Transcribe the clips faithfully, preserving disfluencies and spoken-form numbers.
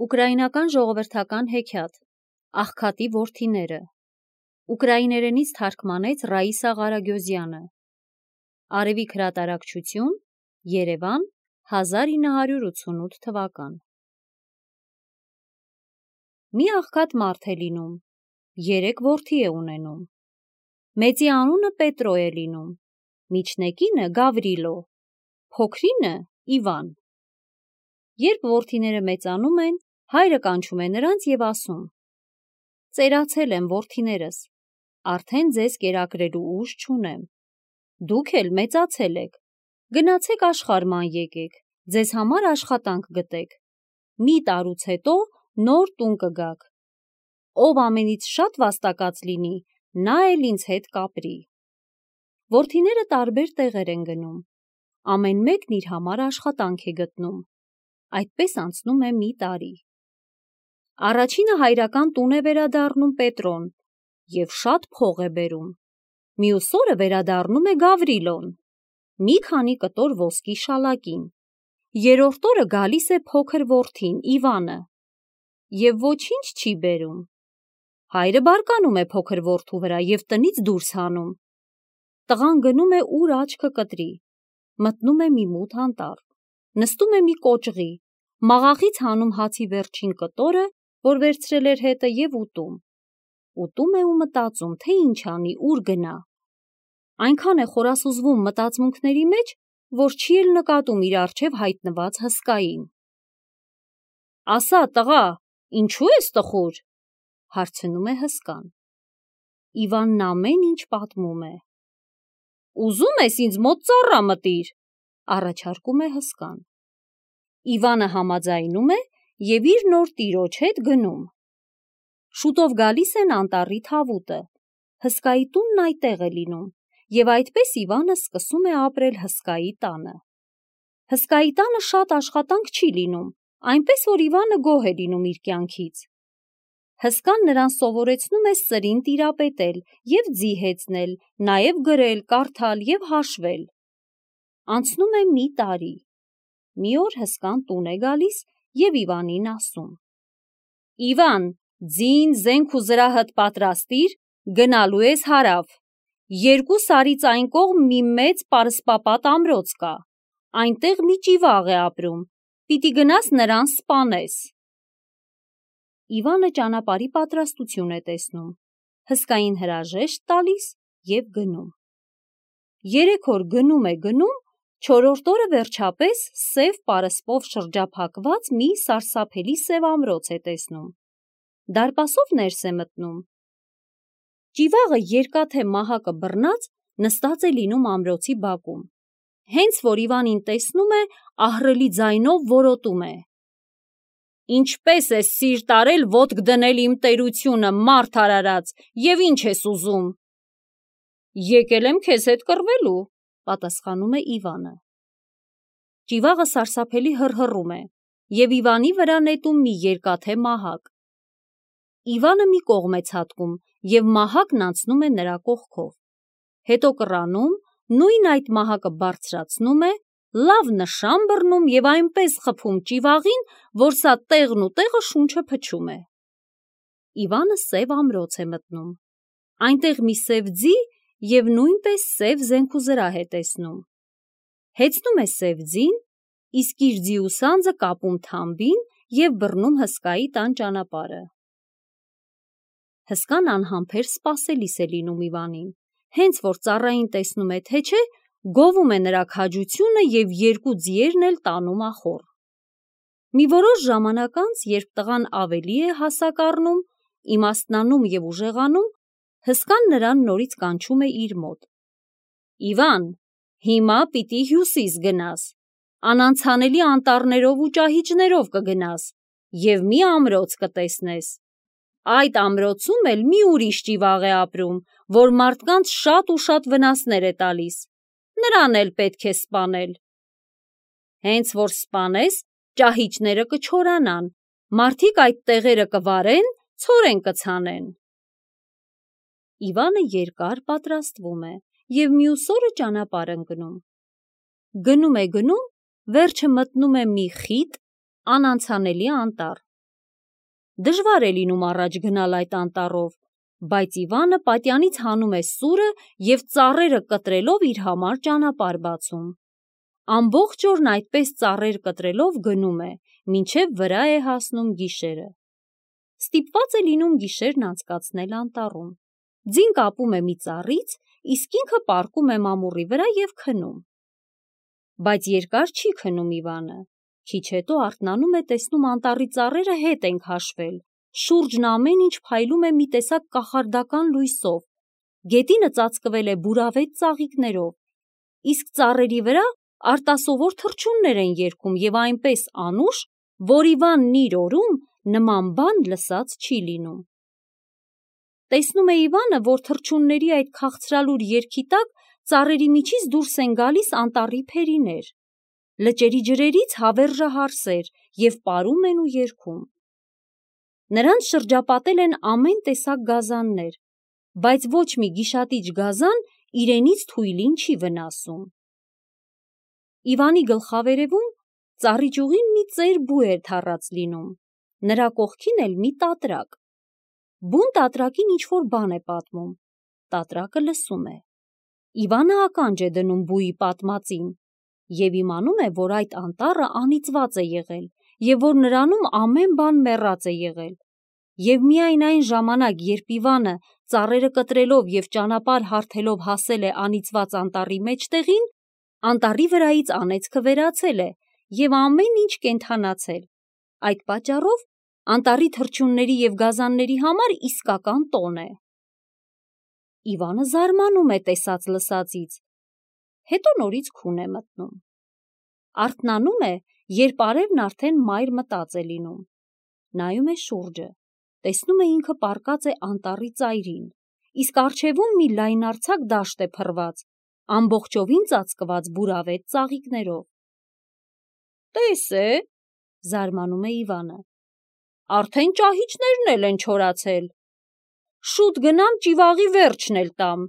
Ուկրաինական ժողովրդական հեքիաթ Աղքատի որդիները ուկրաիներենից թարգմանեց Ռաիսա Ղարագյոզյանը Արևիկ հրատարակչություն Երևան հազար ինը հարյուր ութսունութ թվական Մի աղքատ մարդ է լինում, երեք որդի է ունենում, մեծի անունը Պետրո է լինում, միջնեկինը Գավրիլո, փոքրինը Իվան։ Երբ որդիները մեծանում են, հայրը կանչում է նրանց և ասում. «Ծերացել եմ, որդիներս, արդեն ձեզ կերակրելու ուժ չունեմ, դուք էլ մեծացել եք, գնացեք աշխարհ ման եկեք, ձեզ համար աշխատանք գտեք, մի տարուց հետո նոր տուն կգաք, ով ամենից շատ վաստակած լինի, նա էլ ինձ հետ կապրի»։ Որդիները տարբեր տեղեր են գնում, ամեն մեկն իր համար աշխատանք է գտնում, այդպես անցնում է մի տարի։ Առաջինը հայրական տուն է վերադառնում Պետրոն և շատ փող է բերում, մյուս օրը վերադառնում է Գավրիլոն, մի քանի կտոր ոսկի շալակին, երրորդ օրը գալիս է փոքր որդին Իվանը և ոչինչ չի բերում։ Հայրը բարկանում է փոքր որդու վրա և տնից դուրս հանում։ Տղան գնում է ուր աչքը կտրի, մտնում է մի մութ անտառ, նստում է մի կոճղի, մաղաղից հանում հացի վերջին կտորը, որ վերցրել էր հետը և ուտում։ Ուտում է ու մտածում, թե ինչ անի, ուր գնա։ Այնքան է խորասուզվում մտածմունքների մեջ, որ չի էլ նկատում իր առջև հայտնված հսկային։ «Ասա, տղա, ինչու ես տխուր», հարցնում է հսկան։ Իվանն ամեն ինչ պատմում է։ «Ուզում ես ինձ մոտ ծառա մտիր», առաջարկում է հսկան։ Իվանը համաձայնում է և իր նոր տիրոջ հետ գնում։ Շուտով գալիս են անտառի թավուտը, հսկայի տունն այդտեղ է լինում, և այդպես Իվանը սկսում է ապրել հսկայի տանը։ Հսկայի տանը շատ աշխատանք չի լինում, այնպես որ Իվանը գոհ է լինում իր կյանքից։ Հսկան նրան սովորեցնում է սրին տիրապետել և ձի հեծնել, նաև գրել, կարդալ և հաշվել։ Անցնում է մի տարի։ Մի օր հսկան տուն է գալիս և Իվանին ասում. «Իվան, ձին, զենք ու զրահդ պատրաստիր, գնալու ես հարավ, երկու սարից այն կողմ մի մեծ պարսպապատ ամրոց կա, այնտեղ մի ճիվաղ է ապրում, պիտի գնաս նրան սպանես»։ Իվանը ճանապարհի պատրաստություն է տեսնում, հսկային հրաժեշտ տալիս և գնում։ Երեք օր գնում է գնում, չորրորդ օրը վերջապես սև պարսպով շրջափակված մի սարսափելի սև ամրոց է տեսնում։ Դարպասով ներս է մտնում։ Ճիվաղը երկաթե մահակը բռնած նստած է լինում ամրոցի բակում։ Հենց որ Իվանին տեսնում է, ահռելի ձայնով որոտում է. «Ինչպե՞ս ես սիրտ արել ոտք դնել իմ տերությունը, մարդ արարած, և ի՞նչ ես ուզում»։ «Եկել եմ քեզ հետ կռվելու», պատասխանում է Իվանը։ Ճիվաղը սարսափելի հռհռում է և Իվանի վրա նետում մի երկաթե մահակ։ Իվանը մի կողմ է ցատկում և մահակն անցնում է նրա կողքով։ Հետո կռանում, նույն այդ մահակը բարձրացնում է, լավ նշան բռնում և այնպես խփում ճիվաղին, որ սա տեղն ու տեղը շունչը փչում է։ Իվանը սև ամրոց է մտնում։ Այնտեղ մի սև ձի և նույնպես սև զենք ու զրահ է տեսնում։ Հեծնում է սև ձին, իսկ իր ձի ու սանձը կապում թամբին և բռնում հսկայի տան ճանապարհը։ Հսկան անհամբեր սպասելիս է լինում Իվանին, հենց որ ծառային տեսնում է, թե չէ, գովում է նրա քաջությունը և երկու ձիերն էլ տանում ախոռ։ Մի որոշ ժամանակ անց, երբ տղան ավելի է հասակ առնում, իմաստնանում և ուժեղանում, հսկան նրան նորից կանչում է իր մոտ. «Իվան, հիմա պիտի հյուսիս գնաս, անանցանելի անտառներով ու ճահիճներով կգնաս և մի ամրոց կտեսնես։ Այդ ամրոցում էլ մի ուրիշ ճիվաղ է ապրում, որ մարդկանց շատ ու շատ վնասներ է տալիս, նրան էլ պետք է սպանել։ Հենց որ սպանես, ճահիճները կչորանան, մարդիկ այդ տեղերը կվարեն, ցորեն կցանեն»։ Իվանը երկար պատրաստվում է և մյուս օրը ճանապարհ ընկնում։ Գնում է գնում, վերջը մտնում է մի խիտ, անանցանելի անտառ, Դժվար է լինում առաջ գնալ այդ անտառով, բայց Իվանը պատյանից հանում է սուրը և ծառերը կտրելով իր համար ճանապարհ բացում։ Ամբողջ օրն այդպես ծառեր կտրելով գնում է, մինչև վրա է հասնում գիշերը։ Ստիպված է լինում գիշերն անցկացնել անտառում։ Ձին կապում է մի ծառից, իսկ ինքը պառկում է մամուռի վրա և քնում։ Բայց երկար չի քնում Իվանը։ Քիչ հետո արթնանում է, տեսնում անտառի ծառերը հետ են քաշվել, շուրջն ամեն ինչ փայլում է մի տեսակ կախարդական լույսով, գետինը ծածկվել է բուրավետ ծաղիկներով, իսկ ծառերի վրա արտասովոր թռչուններ են երգում և այնպես անուշ, որ Իվանն իր օրում նման բան լսած չի լինում։ Տեսնում է Իվանը, որ թռչունների այդ քաղցրալուր երգի տակ ծառերի միջից դուրս են գալիս անտառի փերիներ, լճերի ջրերից հավերժահարսեր և պարում են ու երգում։ Նրանց շրջապատել են ամեն տեսակ գազաններ, բայց ոչ մի գիշատիչ գազան իրենից թույլին չի վնասում։ Իվանի գլխավերևում ծառի ճյուղին մի ծեր բու է թառած լինում, նրա կողքին էլ մի տատրակ։ Բուն տատրակին ինչ-որ բան է պատմում, տատրակը լսում է։ Իվանը ականջ է դնում բուի պատմածին և իմանում է, որ այդ անտառը անիծված է եղել և որ նրանում ամեն բան մեռած է եղել, և միայն այն ժամանակ, երբ Իվանը ծառերը կտրելով և ճանապարհ հարթելով հասել է անիծված անտառի մեջտեղին, անտառի վրայից անեծքը վերացել է և ամեն ինչ կենդանացել։ Այդ պատճառով անտառի թռչունների և գազանների համար իսկական տոն է։ Իվանը զարմանում է տեսած լսածից, հետո նորից քուն է մտնում։ Արթնանում է, երբ արևն արդեն մայր մտած է լինում։ Նայում է շուրջը, տեսնում է ինքը պառկած է անտառի ծայրին, իսկ առջևում մի լայնարձակ դաշտ է փռված, ամբողջովին ծածկված բուրավետ ծաղիկներով։ «Տես է», զարմանում է Իվանը, «արդեն ճահիճներն էլ են չորացել։ Շուտ գնամ ճիվաղի վերջն էլ տամ»։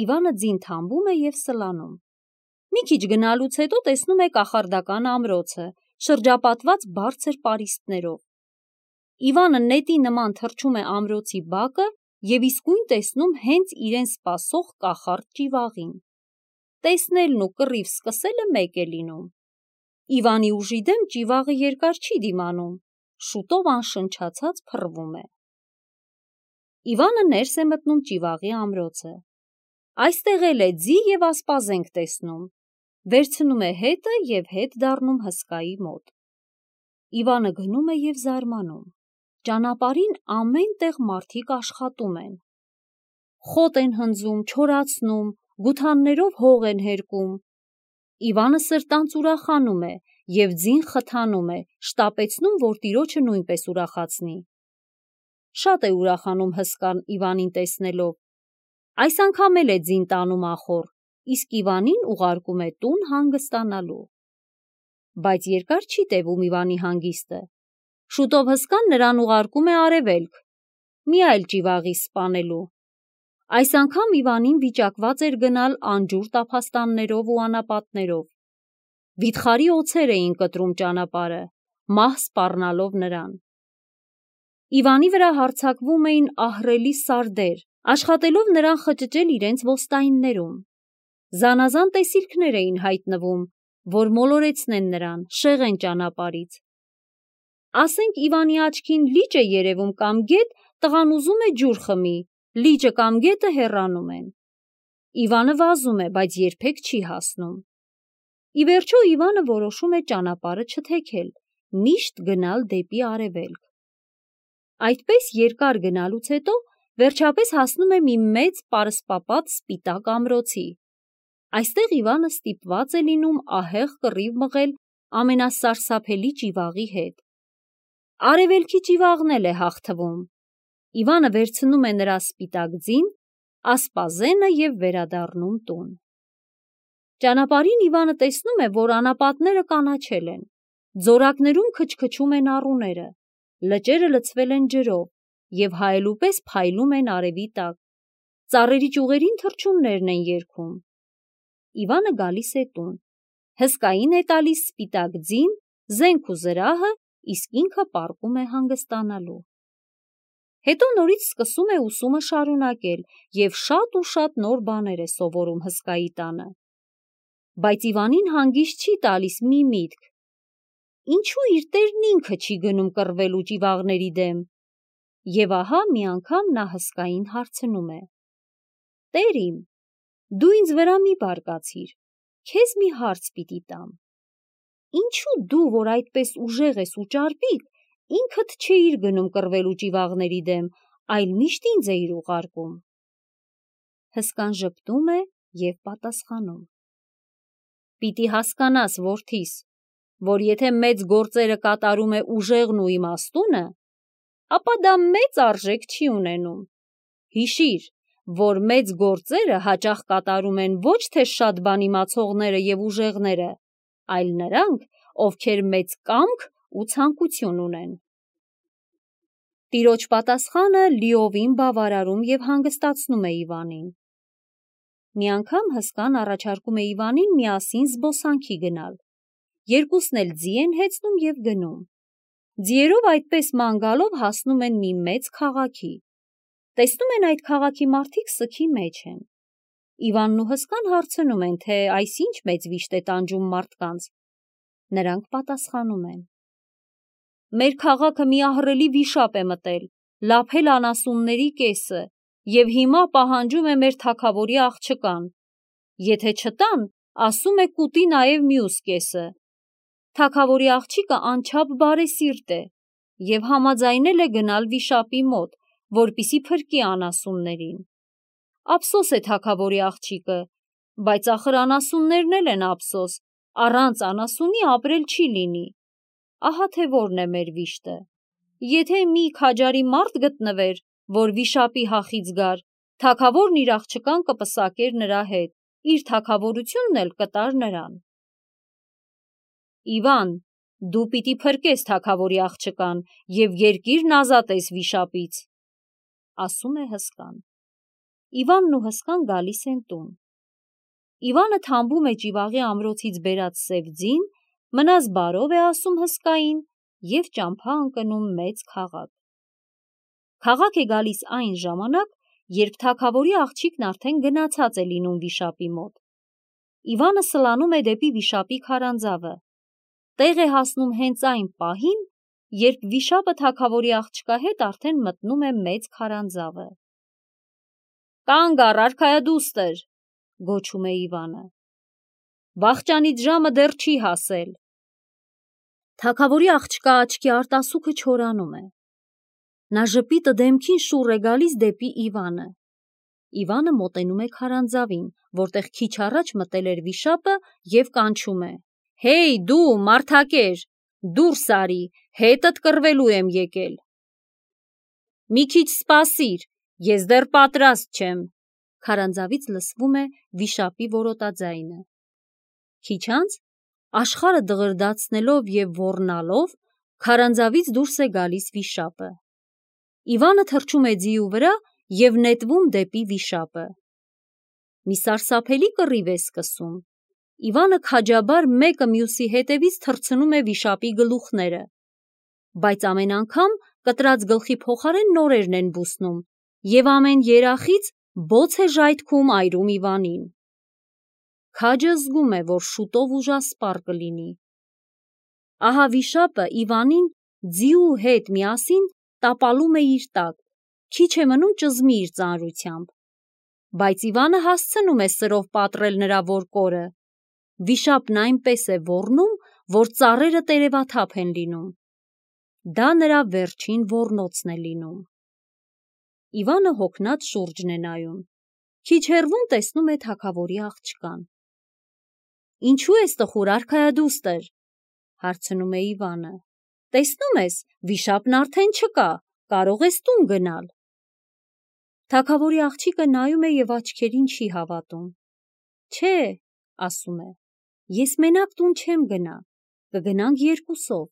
Իվանը ձին թամբում է և սլանում։ Մի քիչ գնալուց հետո տեսնում է կախարդական ամրոցը, շրջապատված բարձր պարիսպներով։ Իվանը նետի նման թռչում է ամրոցի բակը և իսկույն տեսնում հենց իրեն սպասող կախարդ ճիվաղին։ Տեսնելն ու կռիվ սկսելը մեկ է լինում։ Իվանի ուժի դեմ ճիվաղը երկար չի դիմանում, շուտով անշնչացած փռվում է։ Իվանը ներս է մտնում ճիվաղի ամրոցը։ Այստեղ էլ է ձի և ասպազենք տեսնում, վերցնում է հետը և հետ դառնում հսկայի մոտ։ Իվանը գնում է և զարմանում։ Ճանապարհին ամեն տեղ մարդիկ աշխատում են։ Խոտ են հնձում, չորացնում, գութաններով հող են հերկում։ Իվանը սրտանց ուրախանում է և ձին խթանում է, շտապեցնում, որ տիրոջը նույնպես ուրախացնի։ Շատ է ուրախանում հսկան Իվանին տեսնելով։ Այս անգամ էլ է ձին տանում ախոռ, իսկ Իվանին ուղարկում է տուն հանգստանալու։ Բայց երկար չի տևում Իվանի հանգիստը։ Շուտով հսկան նրան ուղարկում է արևելք, մի այլ ճիվաղի սպանելու։ Այս անգամ Իվանին վիճակված էր գնալ անջուր տափաստաններով ու անապատներով։ Վիթխարի օձեր էին կտրում ճանապարհը, մահ սպառնալով նրան։ Իվանի վրա հարձակվում էին ահռելի սարդեր, աշխատելով նրան խճճել իրենց ոստայիններում։ Զանազան տեսիլքներ էին հայտնվում, որ մոլորեցնեն նրան, շեղեն ճանապարհից։ Ասենք Իվանի աչքին լիճ է երևում կամ գետ, տղան ուզում է ջուր խմի, լիճը կամ գետը հեռանում են։ Իվանը վազում է, բայց երբեք չի հասնում։ Ի վերջո Իվանը որոշում է ճանապարհը չթեքել, միշտ գնալ դեպի արևելք։ Այդպես երկար գնալուց հետո վերջապես հասնում է մի մեծ պարսպապատ սպիտակ ամրոցի։ Այստեղ Իվանը ստիպված է լինում ահեղ կռիվ մղել ամենասարսափելի ճիվաղի հետ։ Արևելքի ճիվաղն էլ է հաղթվում։ Իվանը վերցնում է նրա սպիտակ ձին, ասպազենը և վերադառնում տուն։ Ճանապարհին Իվանը տեսնում է, որ անապատները կանաչել են, ձորակներում քչքչում են առուները, լճերը լցվել են ջրով և հայելուպես փայլում են արևի տակ, ծառերի ճյուղերին թռչուններն են երգում։ Իվանը գալիս է տուն, հսկային է տալիս սպիտակ ձին, զենք ու զրահը, իսկ ինքը պառկում է հանգստանալու։ Հետո նորից սկսում է ուսումը շարունակել և շատ ու շատ նոր բաներ է սովորում հսկայի տանը։ Բայց Իվանին հանգիստ չի տալիս մի միտք. ինչու իր տերն ինքը չի գնում կռվելու ճիվաղների դեմ։ Եվ ահա մի անգամ նա հսկային հարցնում է. «Տեր իմ, դու ինձ վրա մի բարկացիր, քեզ մի հարց պիտի տամ. ինչու դու, որ այդպես ուժեղ ես ու ճարպիկ, ինքդ չէիր գնում կռվելու ճիվաղների դեմ, այլ միշտ ինձ էիր ուղարկում»։ Հսկան ժպտում է և պատասխանում. «Պիտի հասկանաս, որդիս, որ եթե մեծ գործերը կատարում է ուժեղն ու իմաստունը, ապա դա մեծ արժեք չի ունենում։ Հիշիր, որ մեծ գործերը հաճախ կատարում են ոչ թե շատ բան իմացողները և ուժեղները, այլ նրանք, ովքեր մեծ կամք ու ցանկություն ունեն»։ Տիրոջ պատասխանը լիովին բավարարում և հանգստացնում է Իվանին։ Մի անգամ հսկան առաջարկում է Իվանին միասին զբոսանքի գնալ։ Երկուսն էլ ձի են հեծնում և գնում։ Ձիերով այդպես ման գալով հասնում են մի մեծ քաղաքի։ Տեսնում են այդ քաղաքի մարդիկ սգի մեջ են։ Իվանն ու հսկան հարցնում են, թե այս ինչ մեծ վիշտ է տանջում մարդկանց։ Նրանք պատասխանում են. «Մեր քաղաքը մի ահռելի վիշապ է մտել, լափել անասունների կեսը և հիմա պահանջում է մեր թագավորի աղջկան։ Եթե չտան, ասում է կուտի նաև մյուս կեսը։ Թագավորի աղջիկը անչափ բարեսիրտ է և համաձայնել է գնալ վիշապի մոտ, որպեսզի փրկի անասուններին։ Ափսոս է թագավորի աղջիկը, բայց ախր անասուններն էլ են ափսոս, առանց անասունի ապրել չի լինի։ Ահա թե որն է մեր վիշտը։ Եթե մի քաջարի մարդ գտնվեր, որ վիշապի հախից գար, թագավորն իր աղջկան կպսակեր նրա հետ, իր թագավորությունն էլ կտար նրան»։ «Իվան, դու պիտի փրկես թագավորի աղջկան և երկիրն ազատես վիշապից», ասում է հսկան։ Իվանն ու հսկան գալիս են տուն։ Իվանը թամբում է ճիվաղի ամրոցից բերած սև ձին, մնաս բարով է ասում հսկային և ճամփա ընկնում մեծ քաղաք։ Քաղաք է գալիս այն ժամանակ, երբ թագավորի աղջիկն արդեն գնացած է լինում վիշապի մոտ։ Իվանը սլանում է դեպի վիշապի քարանձավը։ Տեղ է հասնում հենց այն պահին, երբ վիշապը թագավորի աղջկա հետ արդեն մտնում է մեծ քարանձավը։ «Կանգ առ, արքայադուստր», գոչում է Իվանը։ «Վախճանից ժամը դեռ չի հասել»։ Թագավորի աղջկա աչքի արտասուքը չորանում է։ Նա ժպիտը դեմքին շուռ է գալիս դեպի Իվանը։ Իվանը մոտենում է քարանձավին, որտեղ քիչ առաջ մտել էր վիշապը և կանչում է. «Հեյ դու, մարդակեր, դուրս արի, հետդ կռվելու եմ եկել»։ «Մի քիչ սպասիր, ես դեռ պատրաստ չեմ», քարանձավից լսվում է վիշապի որոտաձայնը։ Քիչ անց, աշխարհը դղրդացնելով և ոռնալով, քարանձավից դուրս է գալիս վիշապը։ Իվանը թռչում է ձիու վրա և նետվում դեպի վիշապը։ Մի սարսափելի կռիվ է սկսում։ Իվանը քաջաբար մեկը մյուսի հետևից թռցնում է վիշապի գլուխները։ Բայց ամեն անգամ կտրած գլխի փոխարեն նորերն են բուսնում, և ամեն երախից բոց է ժայթքում այրում Իվանին։ Քաջը զգում է, որ շուտով ուժասպառ կլինի։ Ահա վիշապը Իվանին ձիու հետ միասին տապալում է իր տակ, քիչ է մնում ճզմի իր ծանրությամբ։ Բայց Իվանը հասցնում է սրով պատռել նրա որկորը։ Վիշապն այնպես է ոռնում, որ ծառերը տերևաթափ են լինում։ Դա նրա վերջին ոռնոցն է լինում։ Իվանը հոգնած շուրջն է նայում։ Քիչ հեռվում տեսնում է թագավորի աղջկան։ «Ինչու ես տխուր, արքայադուստր», հարցնում է Իվանը։ «Տեսնում ես, վիշապն արդեն չկա, կարող ես տուն գնալ»։ Թագավորի աղջիկը նայում է և աչքերին չի հավատում։ «Չէ», ասում է, «ես մենակ տուն չեմ գնա, կգնանք երկուսով,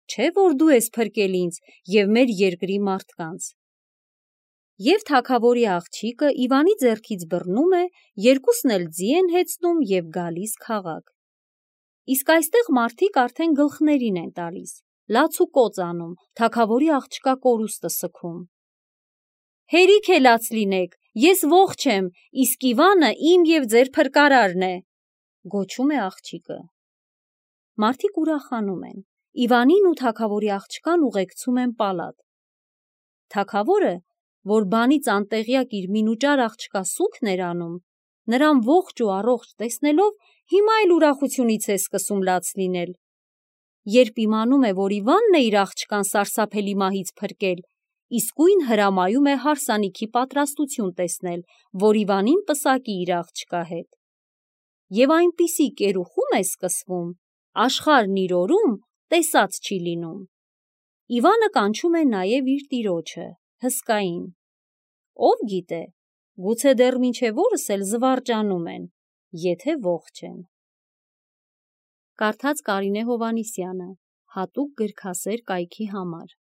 չէ՞ որ դու ես փրկել ինձ և մեր երկրի մարդկանց»։ Եվ թագավորի աղջիկը Իվանի ձեռքից բռնում է, երկուսն էլ ձի են հեծնում և գալիս քաղաք։ Իսկ այստեղ մարդիկ արդեն գլխներին են տալիս, լաց ու կոծ անում, թագավորի աղջկա կորուստը սգում։ Հերիք է լաց լինեք, ես ողջ եմ, իսկ Իվանը իմ և ձեր փրկարարն է, գոչում է աղջիկը։ Մարդիկ ուրախանում են, Իվանին ու թագավորի աղջկան ուղեկցում են պալատ։ Թագավորը, որ բանից անտեղյակ իր մինուճար աղջկա սուգն էր անում, նրան ողջ ու առողջ տեսնելով հիմա էլ ուրախությունից է սկսում լաց լինել։ Երբ իմանում է, որ Իվանն է իր աղջկան սարսափելի մահից փրկել, իսկույն հրամայում է հարսանիքի պատրաստություն տեսնել, որ Իվանին պսակի իր աղջկա հետ։ Եվ այնպիսի կերուխում է սկսվում, աշխարհն իր օրում տեսած չի լինում։ Իվանը կանչում է նաև իր տիրոջը, Հսկային։ Ով գիտե, գուցե դեռ մինչև օրս էլ զվարճանում են, եթե ողջ են։ Կարդաց Կարինե Հովհաննիսյանը, հատուկ գրքասեր կայքի համար։